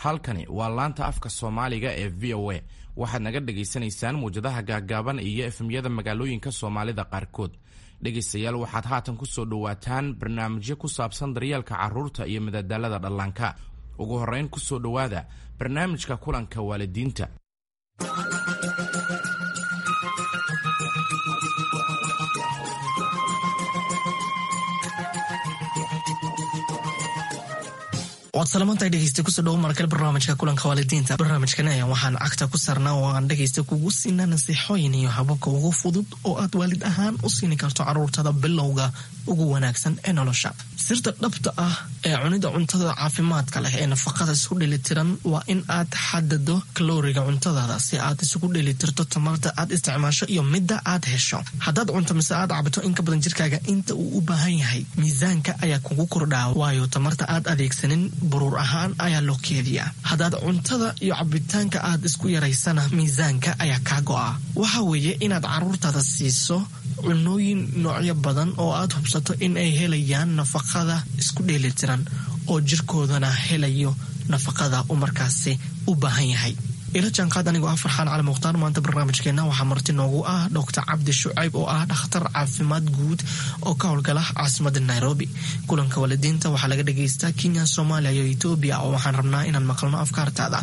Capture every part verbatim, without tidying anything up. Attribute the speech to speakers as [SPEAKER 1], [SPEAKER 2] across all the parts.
[SPEAKER 1] Halkani waa laanta afka Soomaaliga ee V O A. Waxaad naga dhagaysanaysaan muwjadaha gaaggaaban iyo F M-yada magaalooyinka Soomaalida qaarkood. Dhegaystayaal, waxaad haatan ku soo dhowaataan barnaamijyo ku saabsan daryeelka carruurta iyo madadaalada dhallaanka. Ugu horrayn, ku soo dhowaada barnaamijka kulanka waalidiinta.
[SPEAKER 2] Waad salamantahay, dhegeysta. Kusoo dhawo markale barnaamijka kulanka waalidiinta. Barnaamijkan ayaa waxaan cagta ku saarnaa oo aan dhegeysta kugu siinaa nasiixooyin iyo hababka ugu fudud oo aad waalid ahaan u siini karto caruurtada bilowga ugu wanaagsan ee nolosha. Sirta dhabta ah ee cunida cuntada caafimaadka leh ee nafaqada isku dheelitiran waa in aad xadado kalooriga cuntadaada si aad isugu dheelitirto tamarta aad isticmaasho iyo midda aad hesho. Haddaad cunto mise aad cabto in ka badan jirkaaga inta uu u baahan yahay, miisaanka ayaa kugu kordhaa, waayo tamarta aad adeegsanin buruur ahaan ayaa loo keediyaa. Haddaad cuntada iyo cabitaanka aad isku yaraysana, miisaanka ayaa kaa go'a. Waxa weeye inaad caruurtaada siiso cunooyin noocyo badan oo aad hubsato in ay helayaan nafaqada isku dheelitiran oo jirkoodana helayo nafaqada uu markaasi u baahan yahay. Ila jaanqaad anigoo ah Farxaan Cali Mukhtaar. Maanta barnaamijkeena waxaa marti noogu ah Doctor Cabdi Shucayb oo ah dhakhtar caafimaad guud oo ka howlgala caasimada Nairobi. Kulanka waalidiinta waxaa laga dhagaystaa Kenya, Soomaaliya iyo Etoobiya, oo waxaan rabnaa inaan maqalno afkaartaada.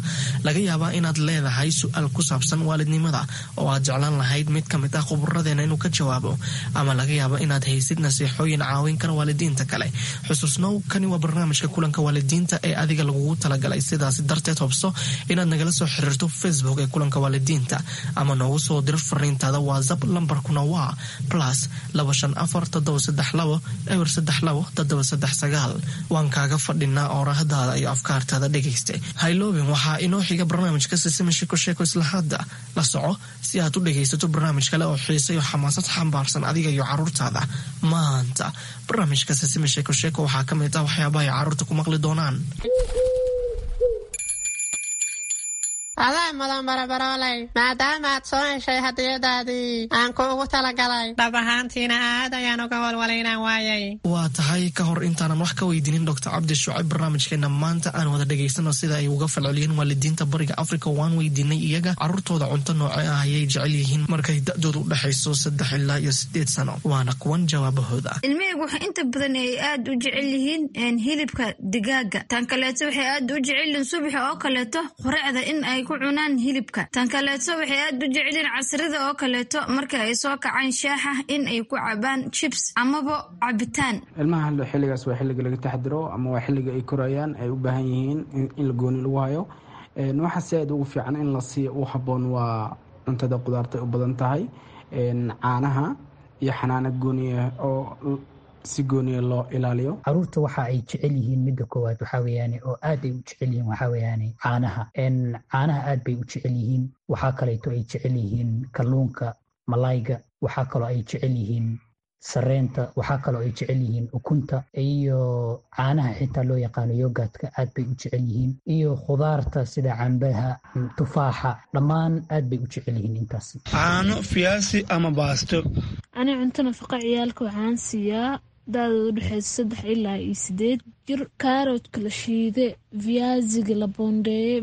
[SPEAKER 2] Laga yaabaa inaad leedahay su-aal ku saabsan waalidnimada oo aad jeclaan lahayd mid ka mid ah khuburadeena inuu ka jawaabo, ama laga yaabo inaad haysid nasiixooyin caawin kara waalidiinta kale. Xusuusnow, kani waa barnaamijka kulanka waalidiinta ee adiga lagugu talagalay. Sidaas darteed, hubso inaad nagala soo xiriirto Facebook ee kulanka waalidiinta ama noogu soo diro fariintaada WhatsApp. Lambarkuna waa plus laba shan afar toddoba saddex labo eber saddex labo toddoba saddex sagaal. Waan kaaga fadhinaa oorahdaada iyo afkaartaada, dhegayste. Hayloobin, waxaa inoo xiga barnaamijka Sisima Sheko Sheeko. Isla hadda la soco si aad u dhegaysato barnaamij kale oo xiise iyo xamaasad xambaarsan adiga iyo caruurtaada. Maanta barnaamijka Sisima Sheeko Sheeko waxaa ka mid ah waxyaabaha ay caruurta ku maqli doonaan.
[SPEAKER 3] Adaa mudan, barabarooley, maadaama aad soo heshay hadiyadaadii aan kuugu talagalay. Dhab ahaantiina aad ayaan uga walwalay inaan waayay.
[SPEAKER 2] Waa tahay. Ka hor intaanan wax ka weydiinin Doctor Cabdi Shucayb barnaamijkeena maanta, aan wada dhegaysano sida ay uga falceliyeen waalidiinta Bariga Africa. Waan weydiinay iyaga caruurtooda cunto nooce ah ayay jecel yihiin markay da-doodu u dhexayso saddex ilaa iyo sideed sano. Waana kuwan jawaabahooda.
[SPEAKER 4] Ilmahaygu waxay inta badan ay aad u jecel yihiin hilibka digaaga. Tan kaleeto, waxay aad u jecel yihiin subaxa oo kaleeto quraacda in ay ku cunaan hilibka. Tan kaleeto, waxay aad u jecelyihiin casrida oo kaleeto marka ay soo kacaan shaaxa in ay ku cabaan chips amaba cabitaan.
[SPEAKER 5] Ilmaha xilligaas waa xilliga laga taxdiro ama waa xilliga ay korayaan, ay u baahan yihiin in la gooni lagu hayo. Waxa si aad ugu fiican in la siiyo u habboon waa cuntada qudaarta u badan tahay, caanaha iyo xanaano gooniya oo si gooniya loo ilaaliyo.
[SPEAKER 6] Caruurta waxa ay jecel yihiin, midda koowaad waxaa weeyaane oo aad ay u jecel yihiin, waxaa weeyaane caanaha. Caanaha aad bay u jecel yihiin. Waxaa kaleeto ay jecel yihiin kalluunka, malayga. Waxaa kaloo ay jecel yihiin sareenta. Waxaa kaloo ay jecel yihiin ukunta iyo caanaha xitaa loo yaqaano yogurtka aad bay u jecel yihiin, iyo khudaarta sida cambaha, tufaaxa, dhammaan aad bay u jecel yihiin intaas.
[SPEAKER 7] Caano, fiyaasi ama baasto.
[SPEAKER 8] Ani cunto nafaqa ciyaalka waxaan siiyaa da-dooda udhexeysa saddex ilaa iyo sideed jir kaaroodka la shiide, viyaasiga la boondeeye,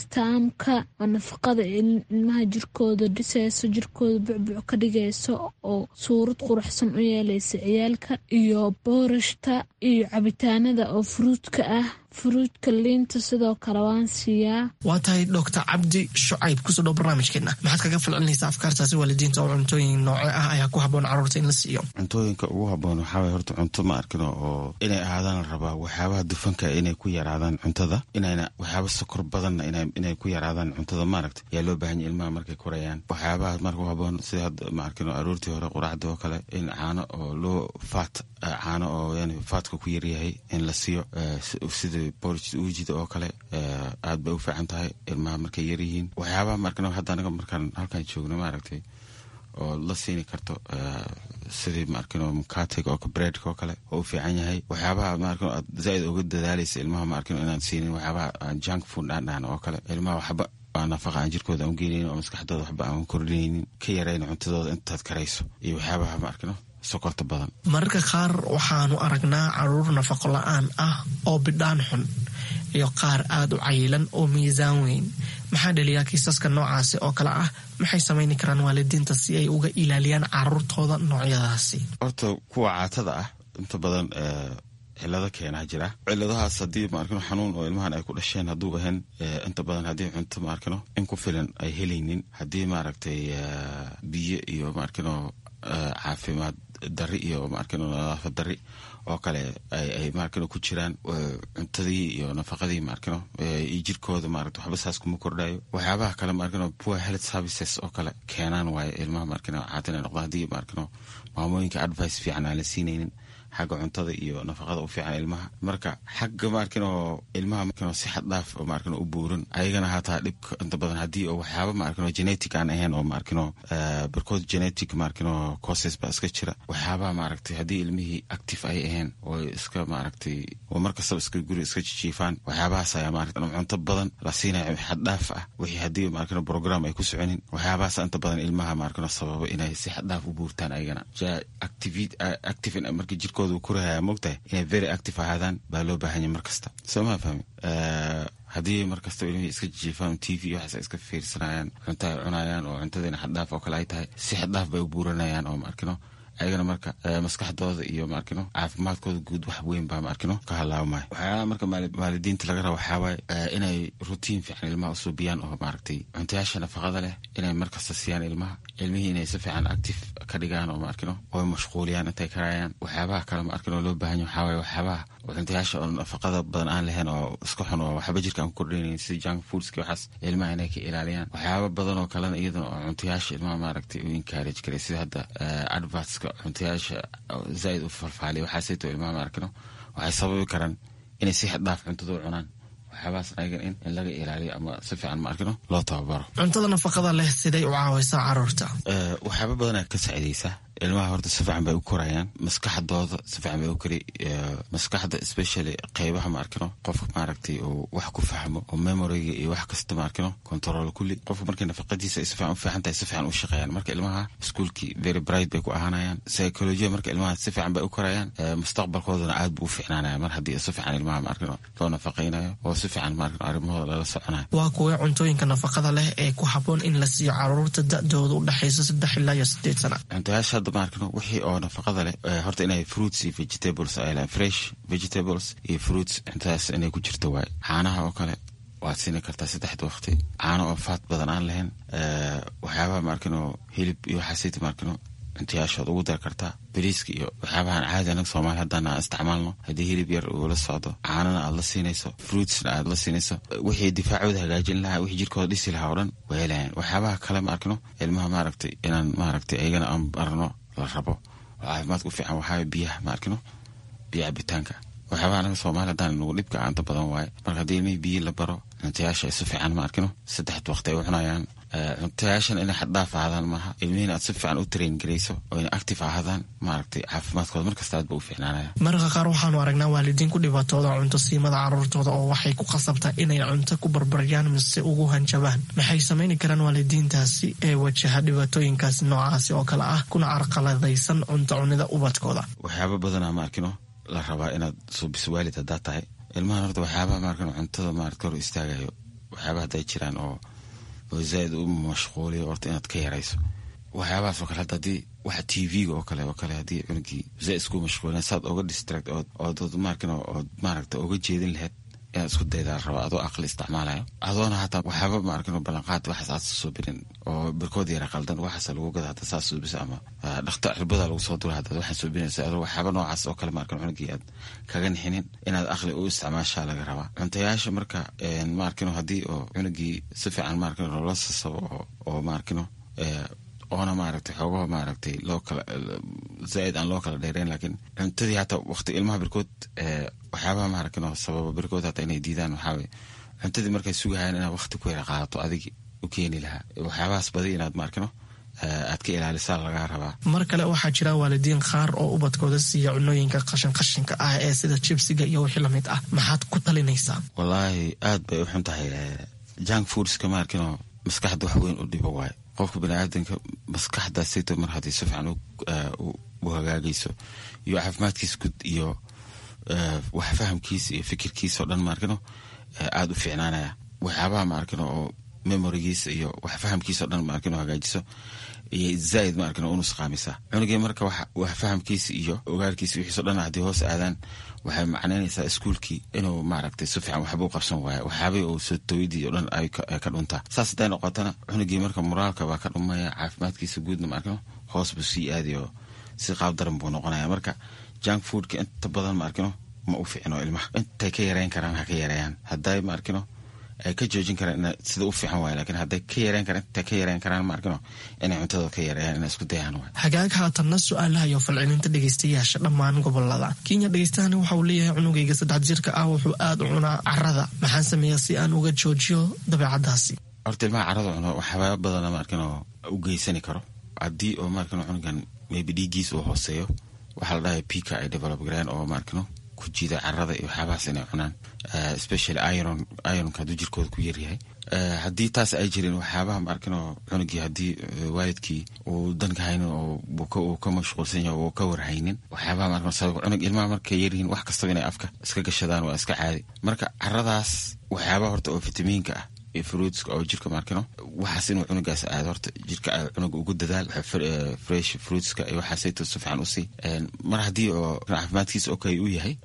[SPEAKER 8] viyaasitaamka oo nafaqada ilmaha jirkooda dhiseyso, jirkooda bucbuc ka dhigayso oo suurad quruxsan u yeeleysa ciyaalka, iyo boorashta iyo cabitaanada oo fruitka ah, fruitka, liinta sidoo kale waan siiyaa.
[SPEAKER 2] Waa tahay. Doctor Cabdi Shucayb, kusoo dhow barnaamijkeena. Maxaad kaga falcelinaysaa afkaartaasi waalidiinta oo cuntooyin nooce ah ayaa ku habboon caruurta in la siiyo?
[SPEAKER 9] Cuntooyinka ugu habboon waxaa waye horta cunto ma arkino oo inay ahaadaan la rabaa waxyaabaha dufanka inay ku yaraadaan cuntada, inayna waxyaaba sokor badanna inay ku yaraadaan cuntada, maaragta, yaa loo baahan yahy ilmaha markay korayaan. Waxyaabaha marka u habboon sida hadda, ma arkino, aroortii hore quraacda oo kale in caano oo loo faat, caano oo yani faatka ku yaryahay in la siiyo, sida porridge uujida oo kale, aad bay u fiican tahay ilmaha markay yaryihiin. Waxyaabaha maarkino hadda anaga markaan halkan joogno, maaragtay, oo la siini karto sidii, maarkino, mukatiga oo breadka oo kale oo u fiican yahay. Waxyaabaha, maarkino, aad zaaid uga dadaalaysa ilmaha, maarkino, inaan siinin waxyaabaha aan junk food aan dhahan oo kale, ilmaha waxba aan nafaqa aan jirkooda aan u geenaynin oo maskaxdooda waxba aan kordhinaynin, ka yarayna cuntadooda intaad karayso, iyo waxyaabaha, maarkino, sokorta badan.
[SPEAKER 2] Mararka qaar waxaanu aragnaa caruur nafaqo la-aan ah oo bidhaan xun. iyo qaar aada u cayilan oo miisaan weyn. Maxaa dhaliyaa kiisaska noocaasi oo kale ah? Maxay samayni karaan waalidiinta si ay uga ilaaliyaan caruurtooda noocyadaasi?
[SPEAKER 9] Horta kuwa caatada ah inta badan cilado keenaa jira. Ciladahaas haddii maarkino xanuun oo ilmahan ay ku dhasheen hadduu ahayn, inta badan haddii cunto maarkino in ku filan ay helaynin, haddii maaragtay biyo iyo maarkino caafimaad dari iyo maarkino nadaafad dari oo kale ay maarkino ku jiraan, cuntadii iyo nafaqadii maarkino iyo jirkooda maaragta waxba saas kuma kordhayo. Waxyaabaha kale maarkino poor health services oo kale keenaan waaye ilmaha maarkino caatin ay noqdaan, haddii maarkino maamooyinka advice fiican aan la siinaynin xagga cuntada iyo nafaqada u fiican ilmaha. Marka xagga maarkino ilmaha maarkino si xad dhaaf oo maarkino u buuran ayagana hataa dhibka inta badan haddii oo waxyaaba maarkino genetic aan ahayn oo maarkino barkood genetic maarkino causes baa iska jira. Waxyaabaha maaragtay haddii ilmihii active ay ahayn oo iska maaragtay oo markastaba iska guri iska jijiifaan, waxyaabahaas ayaa maaragtay cunto badan la siinaya xad dhaaf ah, wixii haddii maarkino program ay ku soconin, waxyaabahaas inta badan ilmaha maarkino sababa inay si xad dhaaf u buurtaan ayagana. Active marka jirkooda kurahaya mogtahay inay very active ahaadaan baa loo baahanya mar kasta, soo maa fahmi? Haddii mar kastaba ilmihii iska jijiifaan, T V iyo waxaas ay iska fiirsanayaan, cunto ay cunayaan oo cuntadiina xaddhaaf oo kale ay tahay, si xaddhaaf bay u buuranayaan oo maarkino ayagana marka maskaxdooda iyo maarkino caafimaadkooda guud wax weyn baa maarkino ka halaabmaya. Waxyaalaha marka waalidiinta laga raba waxaa waaye inay routine fiican ilmaha usuubiyaan oo maaragtay cuntayaasha nafaqada leh inay markasta siiyaan ilmaha, ilmihii inay si fiican active ka dhigaan oo maarkino oo mashquuliyaan intay karayaan. Waxyaabaha kale maarkino loo baahan yahay waxaa waaye waxyaabaha cuntayaasha oo nafaqada badan aan lahayn oo iska xun oo waxba jirka aan ku kordhinaynin sida junk foodski, waxaas ilmaha inay ka ilaaliyaan. Waxyaaba badan oo kalena iyadana oo cuntayaasha ilmaha maaragtay u encourage karay, sida hadda advertska cuntayaasha zaaid u falfaaliya, waxaasayto ilmaha maarkino waxay sababi karaan inay si xad dhaaf cuntada u cunaan. Waxyaabahaas ayagan in in laga ilaaliyo ama si fiican maarkino loo tababaro.
[SPEAKER 2] Cuntada nafaqada leh siday u caawaysaa caruurta?
[SPEAKER 9] Waxyaaba badanaa ka saacidaysa ilmaha. Horta si fiican bay u korayaan, maskaxdooda si fiican bay u kori, maskaxda especially qeybaha maarkino qofka maaragtay uu wax ku fahmo oo memoryga iyo wax kasta maarkino control kulli. Qofka markay nafaqadiisa ay si fiican u fiican tahay, si fiican u shaqeeyaan. Marka ilmaha iskuulkii very bright bay ku ahaanayaan, psychology marka ilmaha si fiican bay u korayaan, mustaqbalkoodana aad buu u fiicnaanaya mar haddii si fiican ilmaha maarkino loo nafaqaynayo oo si fiican maarkino arrimahooda lala soconayo.
[SPEAKER 2] Waa kuwee cuntooyinka nafaqada leh ee ku habboon in la siiyo caruurta da-dooda u dhexaysa saddex ilaa iyo sideed sana?
[SPEAKER 9] Cuntayaasha hadda maarkino wixii oo nafaqada leh horta inay fruits iyo vegetables ay lahayn, fresh vegetables iyo fruits cuntadaas inay ku jirto waaye. Caanaha oo kale waad siini kartaa saddexda waqti, caano oo faat badan aan lahayn. Waxyaabaha maarkino hilib iyo waxaasayta maarkino cuntayaashood ugu dari kartaa, bariiska iyo waxyaabahan caadi anaga Soomaali haddana aan isticmaalno. Haddii hilib yar uu la socdo, caanana aad la siinayso, fruitsna aad la siinayso, wixii difaacooda hagaajin lahaa, wixii jirkooda dhisi lahaa oo dhan way helayaan. Waxyaabaha kale ma arkino ilmaha maaragtay inaan maaragtay ayagana aan barno la rabo oo caafimaadka u fiican waxaa biyaha ma arkino, biyo cabitaanka. Waxyaabaha anaga Soomaali haddaan nagu dhibka aanta badan waaye. Marka haddii ilmihii biyo la baro, cuntayaasha ay si fiican ma arkino saddexda waqti ay u cunayaan, cuntayaashan inay xaddhaaf ahaadaan maaha, ilmihiina aad si fiican u train garayso oo inay active ahaadaan, maaragtay caafimaadkooda markasta aad ba u fiicnaanaya.
[SPEAKER 2] Mararka qaar waxaanu aragnaa waalidiin ku dhibaatooda cunto siimada caruurtooda oo waxay ku qasabtaa inay cunto ku barbaryaan mise ugu hanjabaan. Maxay samayni karaan waalidiintaasi ee wajaha dhibaatooyinkaasi noocaasi oo kale ah kuna carqaladaysan cunto cunida ubadkooda?
[SPEAKER 9] Waxyaaba badanaa ma arkino la rabaa inaad suubiso waalid haddaa tahay ilmahan. Horta waxyaabaha maarkino cuntada maarata hor istaagayo, waxyaabaha hadday jiraan oo oo zaaid u mashquuliyo, horta inaad ka yarayso waxyaabahaas oo kale. Hadda haddii waxa T V-ga oo kale oo kale haddii cunugii zaaid isku mashquulina, saad oga distract ood ood maarkino ood maaragta oga jeedin lahayd inaad isku daydaa la rabaa, adoo aqli isticmaalayo, adoona hataa waxyaaba maarkino ballanqaad waxaas aad suubinin oo barkood yara qaldan waxaas lagu gada hata saas suubisa ama dhakta cirbada lagu soo dura hadaad waxaa suubinaysa, adoo waxyaaba noocaas oo kale maarkino cunugii aad kaga nixinin, inaad aqli u isticmaashaa laga rabaa cuntayaasha. Marka maarkino haddii oo cunugii si fiican maarkino loola sasabo oo oo maarkino oona maaragtay xoogaha maaragtay loo kala zaaid aan loo kala dheereyn, laakiin cuntadii hataa waqti ilmaha barkood waxyaabaha maaragtay sababa barkood hataa inay diidaan waxaa waye cuntadii markay sugahayaan inaad waqti ku yara qaadato adigi u keeni lahaa. Waxyaabahaas badi inaad maarkino aad ka ilaalisaa lagaa rabaa.
[SPEAKER 2] Mar kale waxaa jira waalidiin qaar oo ubadkooda siiya cunooyinka qashin qashinka ah ee sida jibsiga iyo wixii lamid ah. Maxaad ku talinaysaa?
[SPEAKER 9] Wallaahi aad bay u xun tahay junk foodska, maarkino maskaxda wax weyn u dhibo waayo. Qofka baniaadanka maskaxdaasito mar haddii si fiican u hagaagayso iyo caafimaadkiisa guud iyo wax fahamkiisa iyo fikirkiisa oo dhan maarkino aada u fiicnaanaya. Waxyaabaha maarkino oo memorigiisa iyo wax fahamkiisa o dhan maarkino hagaajiso iyo zaaid maarkino u nusqaamisa cunugii. Marka wax fahamkiisa iyo ogaalkiisa wixiiso dhan haddii hoos aadaan, waxay macnaynaysaa iskuulkii inuu maaragtay si fiican waxba u qabsan waaya, waxyaabay uu soo tooyadii o dhan ay ka dhuntaa. Saas hadday noqotana, cunugii marka moraalka baa ka dhumaya, caafimaadkiisa guudna maarkino hoos buu sii aadayo, si qaab daran buu noqonaya. Marka junk foodka inta badan maarkino ma u fiicno ilmaha. Intay ka yareyn karaan ha ka yareeyaan, hadday maarkino ay ka joojin karaan sida u fiican waay, lakiin hadday ka yareyn karaan, intay ka yareyn karaan maarkino inay cuntada ka yareeyaan, inay isku dayaan waay.
[SPEAKER 2] Hagaag, haatanna su-aalaha iyo falcelinta dhegeystayaasha dhammaan gobolada Kenya. Dhegeystahani waxa uu leeyahay: cunugayga saddex jirka ah wuxuu aada u cunaa carada, maxaan sameeyaa si aan uga joojiyo dabeecadaasi?
[SPEAKER 9] Horta ilmaha carada cuno waxyaaba badana maarkino u geysani karo. Haddii oo maarkino cunugan maybe dhiiggiisa uu hooseeyo, waxaa la dhahay pica ay develop gareen oo maarkino ku jiida carada iyo waxyaabahaas inay cunaan, especially iron. Ironka hadduu jirkooda ku yaryahay, haddii taas ay jirin, waxyaabaha maarkino cunugii haddii waalidkii uu danka haynin oo uu ka mashquulsan yahay oo ka warhaynin, waxyaabaha maarkino sabab cunug ilmaha markay yaryihiin wax kastaba inay afka iska gashadaan waa iska caadi. Marka caradaas waxyaabaha horta oo fitamiinka ah iyo fruitska oo jirka maarkino waxaas inuu cunugaas aado, horta jirka cunuga ugu dadaal fresh fruitska iyo waxaasayto si fiican usii. Mar haddii oo caafimaadkiisa okay uu yahay,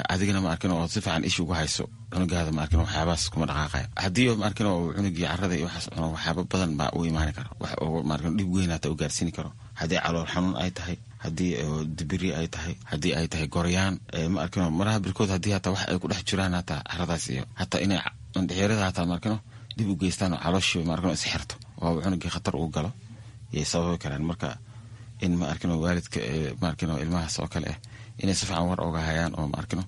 [SPEAKER 9] adigana maarkino oo si fiican isha ugu hayso cunugaada, maarkino waxyaabahaas kuma dhaqaaqaya. Haddii oo maarkino uu cunugii carada iyo waxaas cuno, waxyaaba badan baa u imaani karo, wax oo maarkino dhib weyn hata u gaarsiini karo. Haddii calool xanuun ay tahay, haddii dibiri ay tahay, haddii ay tahay goryaan, ma arkino maraha birkood haddii hataa wax ay ku dhex jiraan hataa caradaas iyo hataa inay indhexyarada hataa maarkino dib u geystaan oo calooshii maarkino isxirto oo cunugii khatar uu galo yay sababi karaan. Marka in ma arkino waalidka maarkino ilmahaas oo kale ah inay si fiican war oga hayaan oo maarkino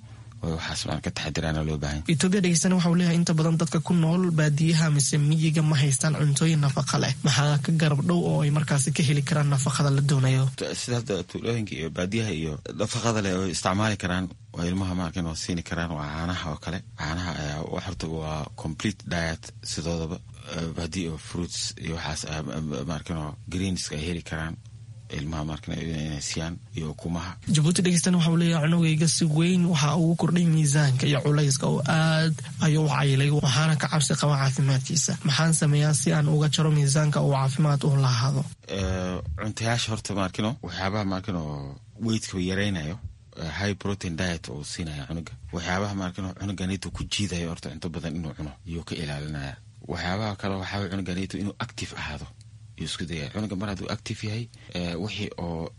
[SPEAKER 9] waxaas maan ka taxadiraana loo baahan.
[SPEAKER 2] Etoobiya dhegeystana waxa uu leeyahay: inta badan dadka ku nool baadiyaha mise miyiga ma haystaan cuntooyin nafaqa leh, maxaa ka garab dhow oo ay markaasi ka heli karaan nafaqada la doonayo?
[SPEAKER 9] Sida hadda tuulooyinka iyo baadiyaha iyo nafaqada leh oo isticmaali karaan waa ilmaha maarkin oo siini karaan waa caanaha oo kale. Caanaha ayaa horta waa complete diet sidoodaba. Haddii oo fruits iyo waxaas maarkin oo greenska ay heli karaan ilmaha maarkin inay siiyaan iyo ukumaha.
[SPEAKER 2] Jabuuti dhegeystana waxa uu leeyahay: cunugayga si weyn waxa ugu kordhay miisaanka iyo culayska oo aad ayuu u cayilay, waxaana ka cabsi qaba caafimaadkiisa. Maxaan sameeyaa si aan uga jaro miisaanka uu caafimaad u lahaado?
[SPEAKER 9] Cuntayaasha horta maarkino waxyaabaha maarkino weightka yaraynayo, high protein diet oo siinaya cunuga. Waxyaabaha maarkino cunuganito ku jiidayo horta cunto badan inuu cuno iyuu ka ilaalinaya. Waxyaabaha kale waxaa cunuganito inuu active ahaado yuu isku dayaya. Cunuga mar hadduu active yahay, wixii oo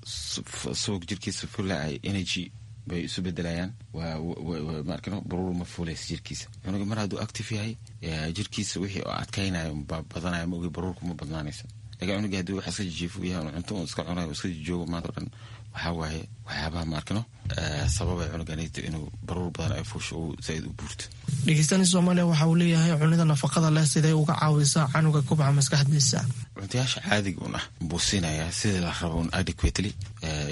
[SPEAKER 9] subag jirkiisa fula ay energy bay isu bedelayaan, waa maarkino baruur ma fuulaysa jirkiisa. Cunuga mar hadduu active yahay, jirkiisa wixii oo adkaynayo baa badanaya, ma ogi baruurku ma badnaanaysa. Lakin cunuga haddii wax iska jijiifu yahay, cunto un iska cunayo, iska jijoogo maanta o dhan, waxaa waaye waxyaabaha maarkino sababay cunuganito inuu baruur badan ay fuusho uu zaaid u buurto.
[SPEAKER 2] Dhegeystani Soomaaliya waxa uu leeyahay: cunida nafaqada leh sidee uga caawisaa canuga kubca maskaxdiisa?
[SPEAKER 9] Cuntayaasha caadiga un ah buu siinayaa sidii la rabo un adequately,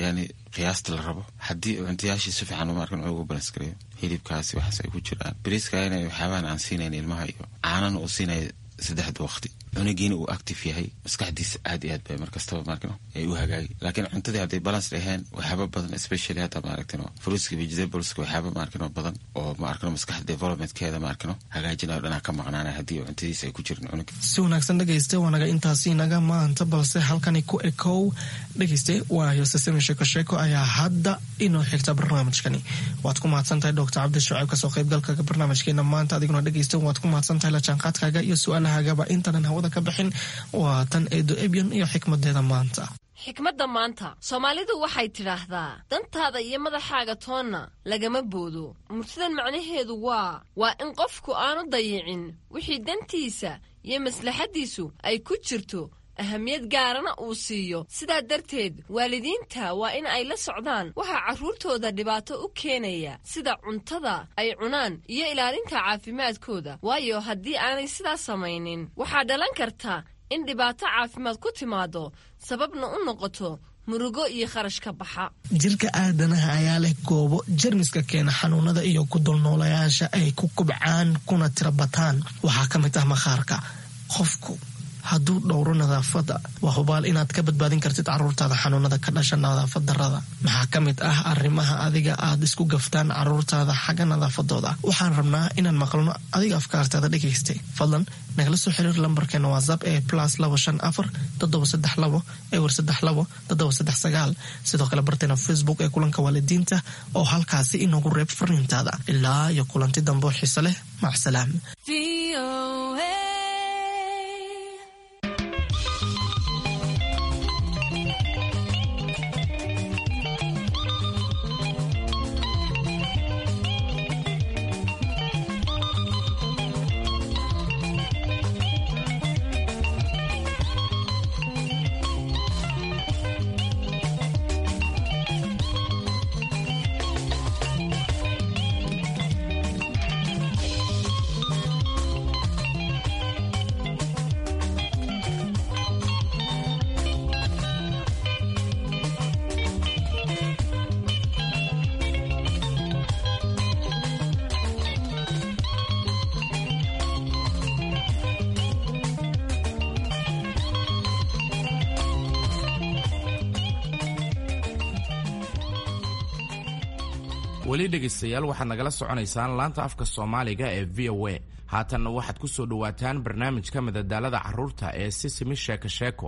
[SPEAKER 9] yani qiyaasta la rabo. Haddii cuntayaashii si fiican maarkan ugu balance gareeyo, hilibkaasi waxaas ay ku jiraan, bariiska inay waxyaabahan aan siinayn ilmaha iyo caanana uu siinaya saddexda waqti, cunugiina uu active yahay, maskaxdiisa aad iyo aad bay markastaba maarkino ay u hagaagi. Laakiin cuntadii hadday balance dhaheen, waxyaaba badan, especially hadda maaragtino fruitska, vegetables, waxyaaba maarkino badan oo maarkino maskaxda developmentkeeda maarkino hagaajinayo dhanaa ka maqnaanaya haddii cuntadiisa ay ku jirin cunuga.
[SPEAKER 2] Si wanaagsan dhegeyste, waa naga intaasi naga maanta, balse halkani ku ekow dhegeyste. Waa yosesemi sheeko sheeko ayaa hadda inoo xigta barnaamijkani. Waad ku mahadsan tahay Doctor Cabdi Shucayb kasoo qaybgalka barnaamijkeena maanta. Adiguna dhegeyste waad ku mahadsan tahay la jaanqaadkaaga iyo su-aalahagaba. Intaanan hawada ka bixin, waa tan Eedo Ebyon iyo xikmadeeda maanta.
[SPEAKER 10] Xikmadda maanta, Soomaalidu waxay tidhaahdaa: dantaada iyo madaxaaga toonna lagama boodo. Murtidan macnaheedu waa waa in qofku aanu dayicin wixii dantiisa iyo maslaxaddiisu ay ku jirto, ahamiyad gaarana uu siiyo. Sidaa darteed waalidiinta waa in ay la socdaan waxaa carruurtooda dhibaato u keenaya, sida cuntada ay cunaan iyo ilaalinta caafimaadkooda, waayo haddii aanay sidaas samaynin waxaa dhalan karta in dhibaato caafimaad ku timaado, sababna u noqoto murugo iyo kharash ka baxa.
[SPEAKER 2] Jirka aadanaha ayaa leh goobo jermiska keena xanuunada iyo ku dulnoolayaasha ay ku kubcaan kuna tirabataan. Waxaa ka mid ah maqaarka. Qofku hadduu dhowro nadaafadda, waa hubaal inaad ka badbaadin kartid caruurtaada xanuunada ka dhasha nadaafad darrada. Maxaa ka mid ah arrimaha adiga aad isku gaftaan caruurtaada xagga nadaafadooda? Waxaan rabnaa inaan maqalno adiga afkaartaada dhegaystay. Fadlan nagala soo xiriir lambarkeena WhatsApp ee plus labo shan afar toddoba saddex labo ewer saddex labo toddoba saddex sagaal. Sidoo kale barteena Facebook ee kulanka waalidiinta oo halkaasi inoogu reeb fariintaada. Ilaa iyo kulanti dambe oo xiise leh, macsalaam.
[SPEAKER 1] Weli dhegaystayaal, waxaad nagala soconaysaan laanta afka Soomaaliga ee V O A. Haatanna waxaad ku soo dhowaataan barnaamijka madadaalada carruurta ee Sisimi Sheeko Sheeko.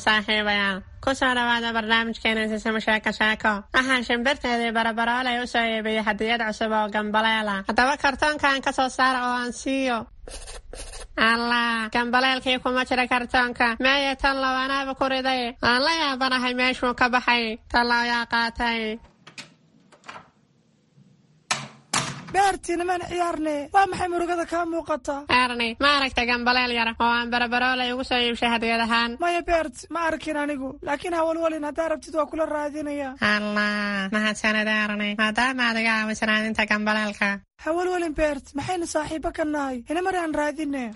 [SPEAKER 3] Saaxiibayaal, kusoo dhawaada barnaamijkeena Sisimo Sheeko Sheeko. Waxaan shimbirteedii Barabarooley u soo iibiyey hadiyad cusub oo gambaleela. Haddaba kartoonkan ka soo saara oo aan siiyo. Allah, gambaleelkii kuma jira kartoonka. Meeye tan low anaaba ku riday. Aan la yaabanahay meeshuu ka baxay. Tan low yaa qaatay.
[SPEAKER 11] Beerti, nimaan ciyaarne, waa maxay murugada kaa muuqata?
[SPEAKER 3] Erni, ma aragta gambaleel yar oo aan Barabarooley ugu soo iibshay hadiyad ahaan?
[SPEAKER 11] Maya Beert, ma arkin anigu, laakiin hawalwalin, haddaa rabtid waa kula raadinaya.
[SPEAKER 3] Allah, mahadsanid Erni, maadaama aad iga caawiso raadinta gambaleelka.
[SPEAKER 11] Hawalwalin Beert, maxaynu saaxiibo ka nahay? Inamari aan raadine.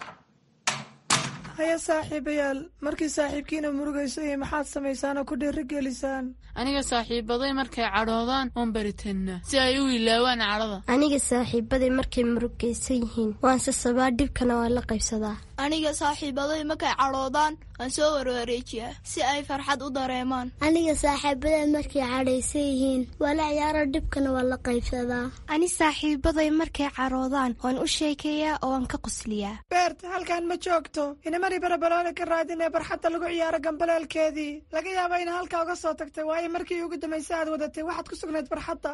[SPEAKER 11] Haya saaxiibayaal, markii saaxiibkiina murugayso iyo maxaad samaysaan oo ku dhiirigelisaan?
[SPEAKER 12] Aniga saaxiibaday markay cadhoodaan oon baritannaa si ay u ilaawaan cadhada.
[SPEAKER 13] Aniga saaxiibaday markay murugaysan yihiin waan sasabaa, dhibkana waan la qaybsadaa.
[SPEAKER 14] Aniga saaxiibaday markay cadhoodaan waan soo warwareejiyaa si ay farxad u dareemaan.
[SPEAKER 13] Aniga saaxiibaday markay cadhaysan yihiin waa la ciyaaro, dhibkana waan la qaybsadaa.
[SPEAKER 15] Ani saaxiibaday markay cadhoodaan waan u sheekeeyaa oo waan ka qosliyaa.
[SPEAKER 11] Beert, halkan ma joogto. Inamari Barabaroole ka raadinee barxadda lagu ciyaaro gambaleelkeedii. Laga yaaba ina halkaa uga soo tagtay, waayo markii ugu dambaysa aad wadatay waxaad ku sugnayd barxadda.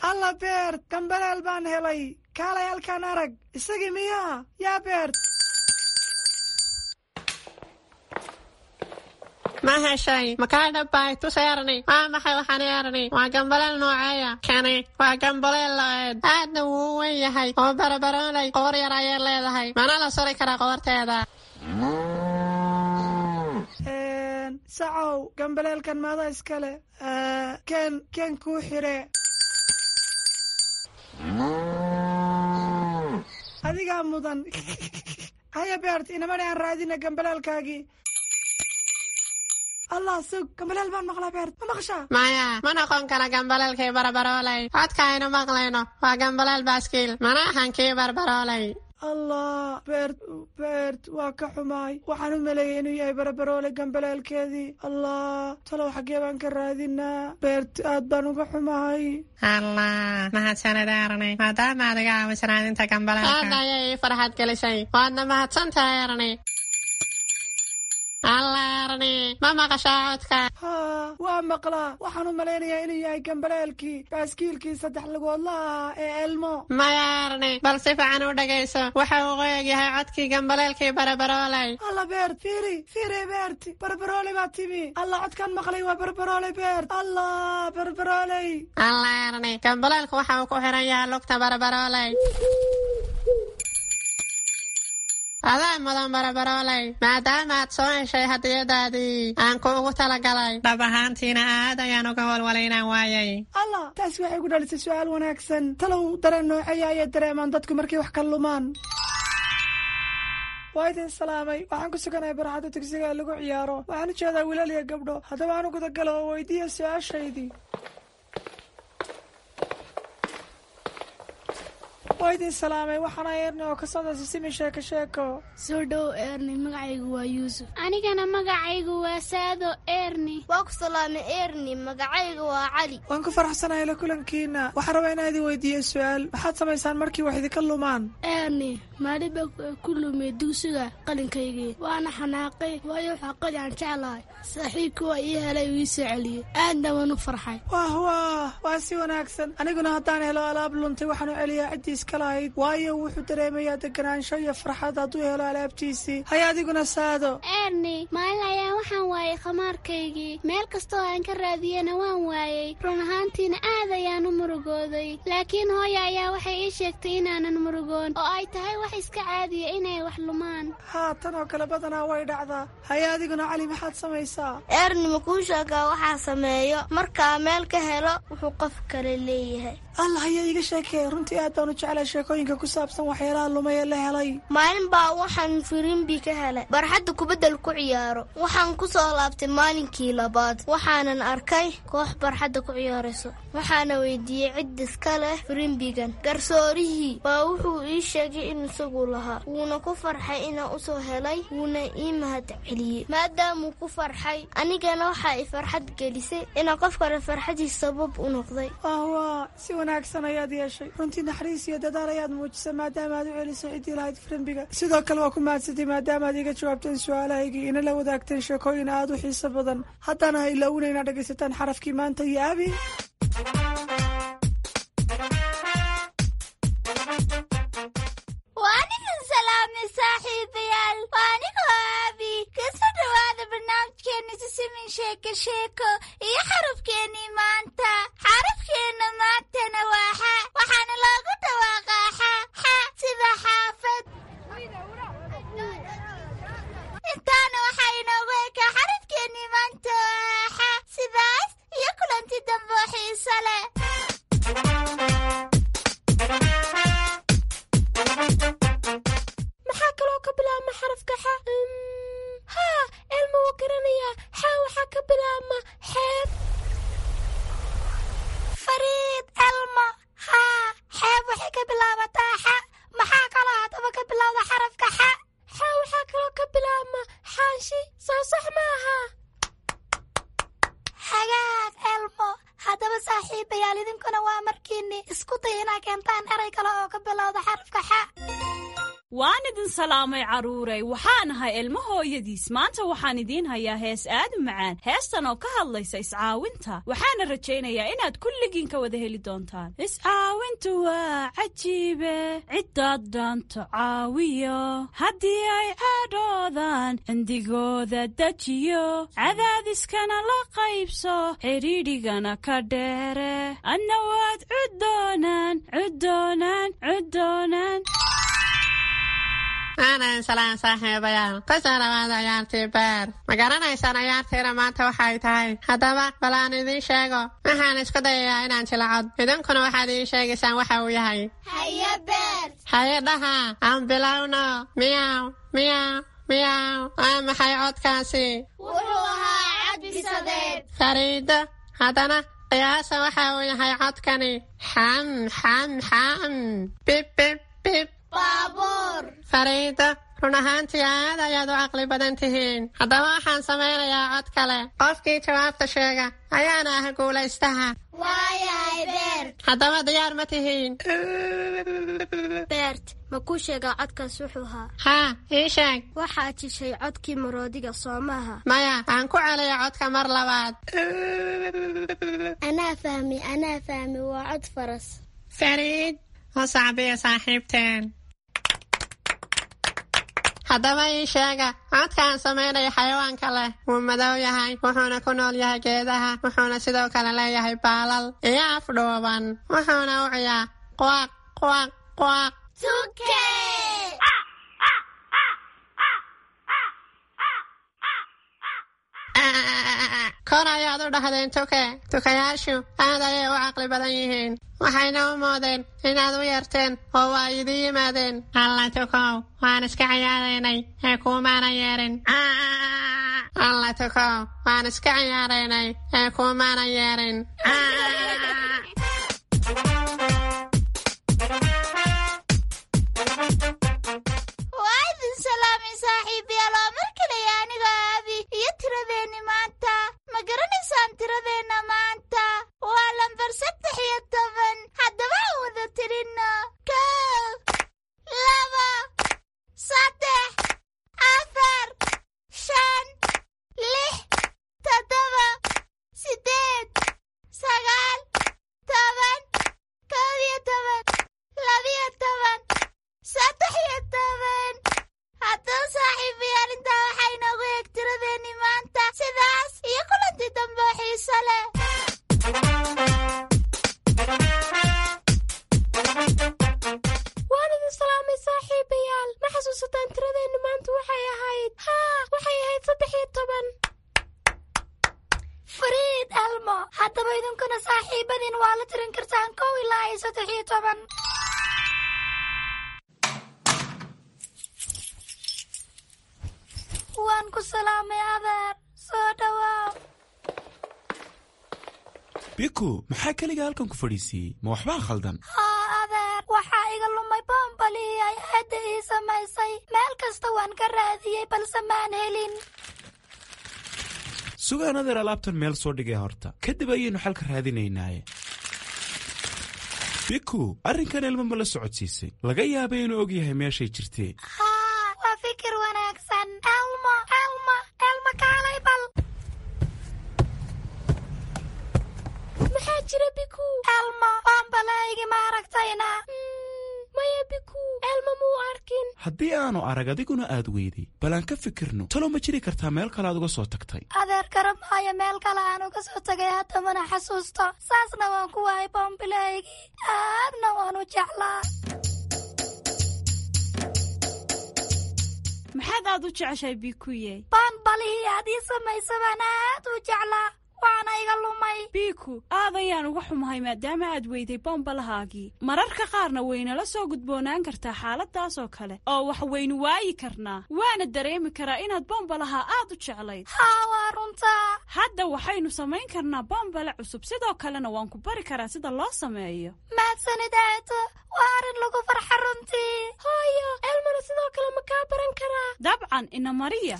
[SPEAKER 11] Alla Beert, gambaleel baan helay. Kaalay halkaan arag. Isagii miyaa? Yaa Beert.
[SPEAKER 3] Ma heshay? Makaa dhabbay? Tus Erni. Waa maxay waxaan Erni? Waa gambaleel nooceeya? Kani waa gambaleel lo'eed. Aadna wuu u weyn yahay oo Barabarooley qoor yar ayay leedahay. Mana la suri karaa qoorteeda.
[SPEAKER 11] Sacow, gambaleelkan maada iskale. Ken ken kuu xire. Adigaa mudan. Haya Beert, inamani aan raadina gambaleelkaagii. Allah, sug, gambaleel baan maqlaa Beert, ma maqashaa?
[SPEAKER 3] Maya, ma noqon kara gambaleelkii Barabarooley. Codka aynu maqlayno waa gambaleel baaskiil, mana ahan kii Barabarooley.
[SPEAKER 11] Allah, Beert, Beert, waa ka xumaay. Waxaan u maleeyay inuu yahay Barabaroole gambaleelkeedii. Allah, talow xaggee baan ka raadinaa? Beert, aad baan uga xumahay.
[SPEAKER 3] Allah, mahadsanid Erni, maadaama aad iga caawiso raadinta gambaleelka. Aad ayay ii farxad gelisay. Waadna mahadsantahay Erni. Allah Erni, ma maqashaa codka?
[SPEAKER 11] Haa, waa maqlaa. Waxaan u malaynayaa inuu yahay gambaleelkii baaskiilkii saddex lugoodla ahaa ee Elmo.
[SPEAKER 3] Maya Erni, bal si fiican u dhegayso. Waxa uu qoyag yahay codkii gambaleelkii Barabarooley.
[SPEAKER 11] Alla Beert, fiiri, fiiri Beert, Barabarooley baa timi. Alla, codkan maqlay waa Barabarooley Beert. Allah, Barabarooley.
[SPEAKER 3] Allah Erni, gambaleelku waxa uu ku xiran yahay lugta Barabarooley. Adaa mudan barabarooley, maadaama aad soo heshay hadiyadaadii aan kuugu talagalay. Dhab ahaantiina aad ayaan uga walwalay inaan waayay.
[SPEAKER 11] Allah, taasi waxay ku dhalisay su'aal wanaagsan. Talow dareen nooceeya ayay dareemaan dadku markay wax ka lumaan? Waa idin salaamay. Waxaan ku suganahay barxadda dugsiga ee lagu ciyaaro. Waxaan u jeedaa wiilal iyo gabdho. Haddaba aan u gudagalo oo weydiiya su-aashaydii. Waa idin salaamay. Waxaana Eerni oo ka socda Sisimi Sheeko Sheeko.
[SPEAKER 16] Soo dhow Eerni, magacaygu waa Yuusuf.
[SPEAKER 17] Anigana magacaygu waa Saado Eerni.
[SPEAKER 13] Waa ku salaamay Eerni, magacaygu waa Cali.
[SPEAKER 11] Waan ku faraxsanahay la kulankiina. Waxaan rabaa inaan idin weydiiyo su-aal. Maxaad samaysaan markii wax idinka lumaan?
[SPEAKER 16] Eerni, maalin baa ku lumay dugsiga qalinkaygii, waana xanaaqay, waayo waxaa qali aan jeclahay. Saaxiibkii waa ii helay, uu ii soo celiyey, aadna waan u farxay.
[SPEAKER 11] Wah wah, waa si wanaagsan. Aniguna haddaan helo alaab luntay, waxaan u celiyaa ciddii iska lahayd, waayo wuxuu dareemayaa deganaansho iyo farxad hadduu helo alaabtiisii. Haya adiguna Saado.
[SPEAKER 17] Eerni, maalin ayaa waxaan waayay khamaarkaygii. Meel kastoo aan ka raadiyena waan waayey. Run ahaantiina aad ayaan u murugooday, laakiin hooya ayaa waxay ii sheegtay inaanan murugoon oo ay tahay wax iska caadiya inay wax lumaan.
[SPEAKER 11] Haa, tan oo kale badanaa way dhacdaa. Haya adiguna Cali, maxaad samaysaa?
[SPEAKER 13] Eerni, ma kuu sheegaa waxaa sameeyo markaa meel ka helo wuxuu qof kale leeyahay?
[SPEAKER 11] Allah, ayaa iiga sheekee. Runtii aad baan u jeclay sheekooyinka ku saabsan waxyaalaha lumay ee la helay.
[SPEAKER 13] Maalin baa waxaan firimbi ka helay barxadda kubaddal ku ciyaaro. Waxaan ku soo laabtay maalinkii labaad, waxaanan arkay koox barxadda ku ciyaarayso. Waxaana weydiiyey cid iska leh firimbigan. Garsoorihii baa wuxuu ii sheegay in isagu lahaa, wuuna ku farxay inaan usoo helay, wuuna ii mahad celiyey. Maadaamuu ku farxay, anigana waxaa i farxad gelisay inaan qof kale farxadiis sabab u noqday.
[SPEAKER 11] Si wanaagsan ayaad yeeshay. Runtii naxariis iyo dadaal ayaad muujisay maadaama aad u celisay ciddii lahayd firimbiga. Sidoo kale waa ku mahadsantay maadaama aad iga jawaabteen su-aalahaygii, ina la wadaagteen sheekooyin aad u xiiso badan. Haddana ha ilaawina inaad dhegaysataan xarafkii maanta iyo Abi.
[SPEAKER 17] Waan idin salaamay saaxiibayaal. Waa anigoo Aabi. Kasoo dhawaada barnaamijkeena Sisimin Sheeko Sheeko iyo xarafkeennii maanta. Xarafkeenna maantana waa xa, waxaana loogu dhawaaqaa xa xa sida xaafad. Intaana waxaa inoogu ekaa xarafkeennii maanta oo xa. Sidaas iyo kulanti dambe oo xiiso leh. Maxaa kaloo ka bilaabma xarafka xa? Haa, Elma wuu garanayaa. Xa waxaa ka bilaabma xeeb. Fariid, Elma, haa, xeeb waxay ka bilaabataa xa. Maxaa kaloo haddaba ka bilowda xarafka xa? Xa waxaa kaloo ka bilaabma xaanshi. Soo sax maaha? Hagaag Elmo. Haddaba saaxiibayaal, idinkuna waa markiinni isku day inaa keentaan eray kale oo ka bilowda xarafka xa.
[SPEAKER 18] Waan idin salaamay carruuray. Waxaan ahay Ilmo hooyadiis. Maanta waxaan idiin hayaa hees aad u macaan, heestan oo ka hadlaysa iscaawinta. Waxaana rajaynayaa inaad kulligiin ka wada heli doontaan. Iscaawintu waa cajiibe, ciddaad dhaanto caawiyo, haddii ay cadhoodaan cindigooda dejiyo, cadaadiskana la qaybso, xidhiidhigana ka dheere, adna waad cuddoonaan cuddoonaan cuddoonaan.
[SPEAKER 3] Aanan salaan saaxiibayaal. Kusoo dhawaada ciyaartii beer. Ma garanaysaan ciyaartiina maanta waxay tahay? Haddaba bal aan idiin sheego. Waxaan isku dayayaa inaan jilacod, idinkuna waxaad ii sheegaysaan waxa uu yahay.
[SPEAKER 17] Haye Beer.
[SPEAKER 3] Haye dhaha, aan bilowno. Miyaw miyaw miyaw. Waa maxay codkaasi?
[SPEAKER 17] Wuxuu ahaa cad bisadeed.
[SPEAKER 3] Fariido, haddana qiyaasa waxa uu yahay codkani. Xam xam xam, bib bib bib.
[SPEAKER 17] Baabuur.
[SPEAKER 3] Fariido, run ahaantii aad ayaad u caqli badan tihiin. Haddaba waxaan samaynayaa cod kale. Qofkii jawaabta sheega ayaana ah guulaystaha.
[SPEAKER 17] Waayahay Beert.
[SPEAKER 3] Haddaba diyaar ma tihiin?
[SPEAKER 13] Beert, ma kuu sheegaa codkaas wuxuu ahaa?
[SPEAKER 3] Haa, ii sheeg.
[SPEAKER 13] Waxaad jishay codkii maroodiga, soo maaha?
[SPEAKER 3] Maya, aan ku celiyo codka mar labaad.
[SPEAKER 13] Anaa fahmi, anaa fahmi, waa cod faras.
[SPEAKER 3] Fariid, u sacbiya saaxiibteen. Haddaba ii sheega codkaan samaynaya xayawaanka leh. Wuu madow yahay, wuxuuna ku nool yahay geedaha, wuxuuna sidoo kale leeyahay baalal iyo af dhuuban, wuxuuna u ciyaa quaq quaq quaq.
[SPEAKER 17] Tuke.
[SPEAKER 3] Kor ayaad u dhahdeen tuke. Tukayaashu aad ayay u caqli badan yihiin, waxayna u moodeen inaad u yeerteen oo waa idii yimaadeen. Alla tukow, waan iska ciyaaraynay ee kuumaana yeerin. Alla tukow, waan iska ciyaaraynay ee kuumaana yeerin.
[SPEAKER 17] Waa idin salaamay saaxiibayaal, waa mar kale aniga Aabi iyo tiradeenni maanta. Ma garanaysaan tiradeenna maanta? Waa lambar saddex iyo toban. Haddaba aan wada tirinno: kow, laba, saddex, afar, shan, lix, toddoba, siddeed, sagaal, toban, kow iyo toban, labiyo toban, saddex iyo toban. Haddaba saaxiibayaal, intaa waxaa inoogu eeg tiradeenni maanta. Sidaas iyo kulanti dambe oo xiiso leh.
[SPEAKER 16] Waan idin salaamay saaxiibayaal. Ma xasuusataan tiradeenni maanta waxay ahayd? Haa, waxay ahayd saddex iyo toban.
[SPEAKER 17] Fariid Elmo, haddaba idinkuna saaxiibadiin waa la tirin kartaan kow ilaa iyo saddex iyo toban. Waan ku salaamay adeer, soo dhawaaw.
[SPEAKER 19] Biku, maxaa keliga halkan ku fadhiisiiyey? Ma waxbaa khaldan?
[SPEAKER 17] Haa adeer, waxaa iga lumay boombalihii ay aadda ii samaysay. Meel kasta waan ka raadiyey balse maan helin.
[SPEAKER 19] Sugaan adeer, alaabtan meel soo dhigay horta, kadib ayaynu xalka raadinaynaaye. Biku, arrinkan Elmo ma la socodsiisay? Laga yaabay inuu og yahay meeshay jirtee.
[SPEAKER 17] Haa, waa fikir wanaagsan. Elmo, Elmo, Elmo, kaalay bal.
[SPEAKER 16] Maxaa jira, Biku?
[SPEAKER 17] Elmo, boombalahaygi ma aragtayna?
[SPEAKER 16] Maya Biku, Elmo muu arkin.
[SPEAKER 19] Haddii aanu arag adiguna aad weyday, bal aan ka fikirno. Talow ma jiri kartaa meel kale aad uga soo tagtay?
[SPEAKER 17] Adeer, garan maayo meel kale aan uga soo tagay, hadda mana xasuusto. Saasna waan ku waayay boombilahaygii, aadna waan u jeclaa.
[SPEAKER 18] Maxaad aad u jeceshahay, Bikuye?
[SPEAKER 17] Boonbalihii aad ii samaysa baan aad u jeclaa, waana iga lumay.
[SPEAKER 18] Biku, aad ayaan uga xumahay maadaama aad weyday boombalahaagii. Mararka qaarna waynala soo gudboonaan kartaa xaaladaas oo kale oo wax waynu waayi karnaa, waana dareemi karaa inaad boombalaha aad u jeclayd.
[SPEAKER 17] Haa, waa runtaa.
[SPEAKER 18] Hadda waxaynu samayn karnaa boombale cusub, sidoo kalena waan ku bari karaa sida loo sameeyo.
[SPEAKER 17] Mahadsanid aato, waa arrin lagu farxa runtii.
[SPEAKER 16] Hooyo, Elmona sidoo kale ma kaa baran karaa?
[SPEAKER 18] Dabcan, ina mariya.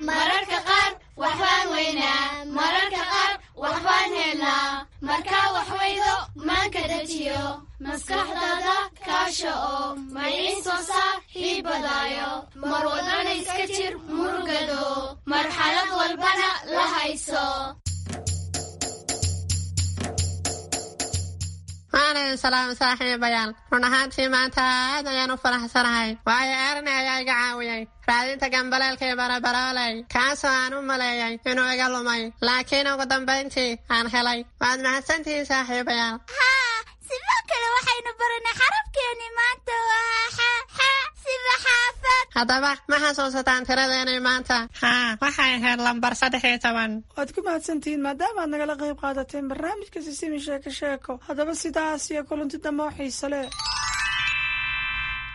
[SPEAKER 20] Mararka qaar waxbaan weynaa, mararka qaar waxbaan helnaa. Markaa wax weydo maanka dejiyo, maskaxdaada kaasha oo maciin soo saaxiibadaayo. Mar walbana iska jir murugado, marxalad walbana la hayso.
[SPEAKER 3] Waan idin salaamay saaxiibayaal. Run ahaantii maanta aad ayaan u faraxsanahay, waayo Erni ayaa iga caawiyey raadinta gambaleelkii barabarooley, kaasoo aan u maleeyay inuu iga lumay, laakiin ugu dambayntii aan helay. Waad mahadsantihiin saaxiibayaal.
[SPEAKER 17] Haa, sidoo kale waxaynu baranay xarafkeeni maanta waa xa, xa sida xaafad.
[SPEAKER 3] Haddaba ma xasuusataan tiradeenii maanta? Haa, waxay ahayd lambar saddex iyo toban.
[SPEAKER 11] Waad ku mahadsantihiin maadaama aad nagala qayb qaadateen barnaamijka Sisimi Sheeko Sheeko. Haddaba sidaas iyo kulanti dambe oo xiise leh.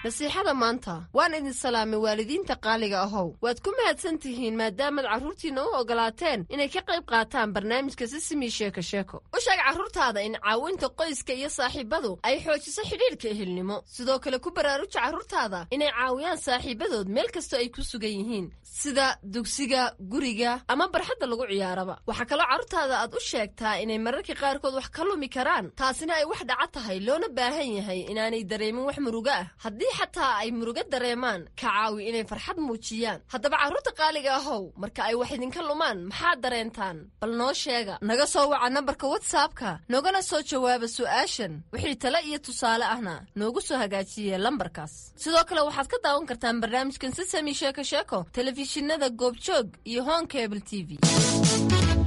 [SPEAKER 10] Nasiixada maanta. Waan idin salaamay waalidiinta qaaliga ahow. Waad ku mahadsan tihiin maadaamaad carruurtiinna u ogolaateen inay ka qayb qaataan barnaamijka Sisimi Sheeko Sheeko. U sheeg carruurtaada in caawinta qoyska iyo saaxiibadu ay xoojiso xidhiidhka ehelnimo. Sidoo kale ku baraaruja carruurtaada inay caawiyaan saaxiibadood meel kastoo ay ku sugan yihiin, sida dugsiga, guriga ama barxadda lagu ciyaaraba. Waxaa kaloo carruurtaada aad u sheegtaa inay mararka qaarkood wax ka lumi karaan, taasina ay wax dhaca tahay, loona baahan yahay inaanay dareemin wax murugo ah. Haddii xataa ay murugo dareemaan, ka caawi inay farxad muujiyaan. Haddaba carruurta qaaliga ahow, marka ay wax idinka lumaan maxaad dareentaan? Bal noo sheega. Naga soo waca nambarka WhatsAppka, noogana soo jawaaba su'aashan. Wixii tale iyo tusaale ahna noogu soo hagaajiye lambarkaas. Sidoo kale waxaad ka daawan kartaan barnaamijkan Sisami Sheeko Sheeko telefishinada Goobjoog iyo Horn Cable T V.